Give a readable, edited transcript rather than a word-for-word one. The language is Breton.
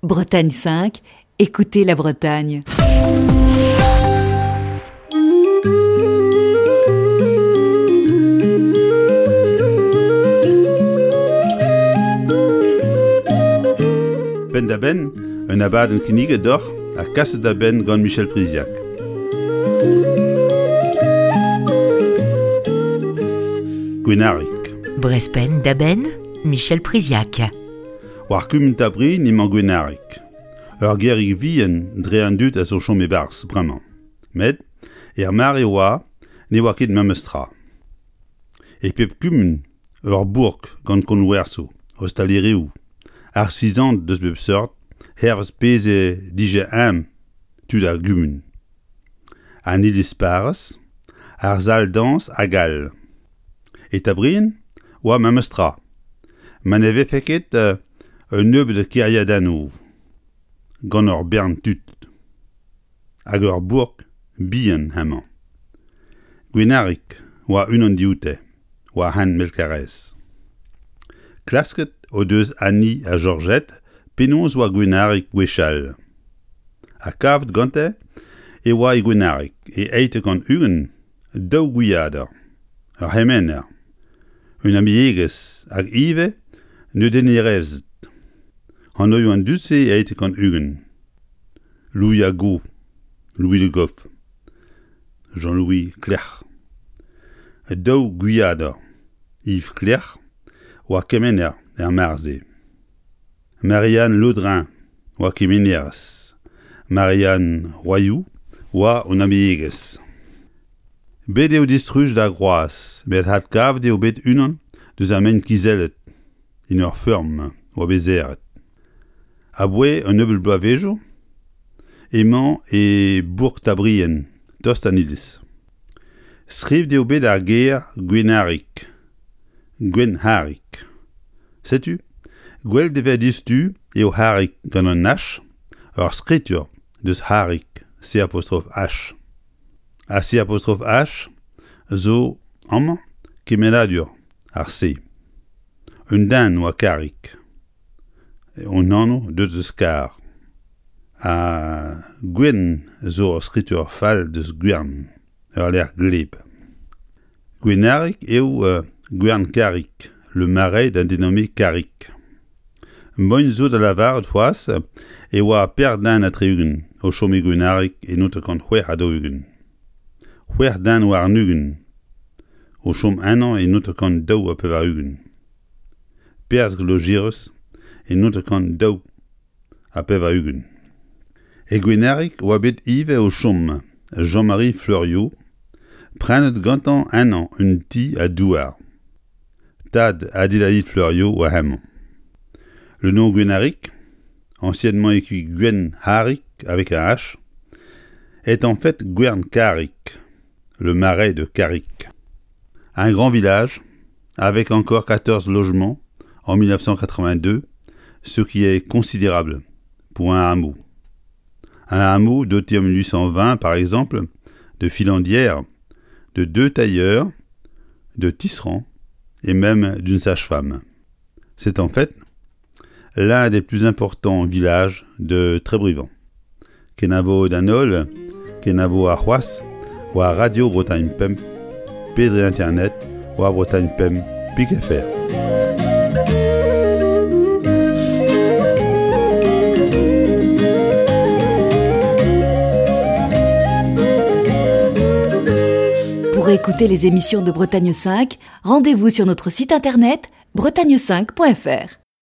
Bretagne 5, écoutez la Bretagne. Penn-da-benn, un abadenn kinniget deoc'h ha kaset da benn gant Michel Priziac. Gwenarig. Brest penn-da-benn, Michel Priziac. War kumun Tabrin emañ Gwenarig, ur gêrig vihan dre an dud a zo chom e-barzh bremañ. Met er mare oa ne oa ket memes tra. E pep kumun ur bourk gant konwersoù, ostalerioù, artizaned deus bep seurt hervez pezh e dije eñ tud ar gumun. An iliz-parrez, ar sal-dañs hag all. E Tabrien oa memes tra, ma ne vefe ket un nebeud kêriadennoù gant ur bern tud. Hag ur bourk bihan hemañ. Gwenarig oa unan dioute, war hent Melkarez. Klasket o deus Annie ha Georgette penaos oa Gwenarig gwechall. Ha kavet gante e oa e Gwenarig e 820 daou gwiader, ur c'hemener, un amiegez hag ivez neudennerezed. Anvioù an dud-se e 820. Louis Ago, Louis Le Goff, Jean-Louis Clerc'h. Daou gwiader, Yves Clerc'h oa kemener er mare-se. Marianne Laudrin oa kemenerez. Marianne Royoù oa hon amiegez. Bet eo distrujet ar groaz met adkavet eo bet unan deus ar mein kizellet en ur feurm oa bet serret. Aboae un nebeud bloavezhioù emañ e bourk Tabrien, tost d'an iliz. Skrivet eo bet ar ger Gwenarig, Gwenharig. Setu, gwelet e vez diouzhtu eo Harig gant un H, ur skritur deus Harig, C apostrof H. Ha C apostrof H zo amañ kemennadur ar C. Un den oa Karig, un anv deuet eus Kar. Ha Gwenn zo ur skritur fall deus Gwern. Ur lec'h gleb. Gwenarig eo Gwern-Karig, le marais d'un dénommé Karig. Moin zo da lavaret c'hoazh e oa per den ha tri-ugent o chom e Gwenarig e 1946. C'hwec'h den warn-ugent o chom ennañ e 1982. Perzh Logirus e 1982. E Gwenarig oa bet ivez o chom Jean-Marie Fleuriot, prenet gantañ ennañ un ti ha douar. Tad Adélaïde Fleuriot oa hemañ. Le nom Gwenarig, anciennement écrit Gwenharig avec un H, est en fait Gwern-Karig, le marais de Karig. Un grand village, avec encore 14 logements en 1982, ce qui est considérable pour un hameau. Un hameau doté en 1820, par exemple, de filandières, de deux tailleurs, de tisserands et même d'une sage-femme. C'est en fait l'un des plus importants villages de Trébrivant. Kenavo d'an holl, kenavo ar c'hoazh war Radio Bretagne Pemp pe dre internet war Bretagne Pemp pik fr. Pour écouter les émissions de Bretagne 5, rendez-vous sur notre site internet bretagne5.fr.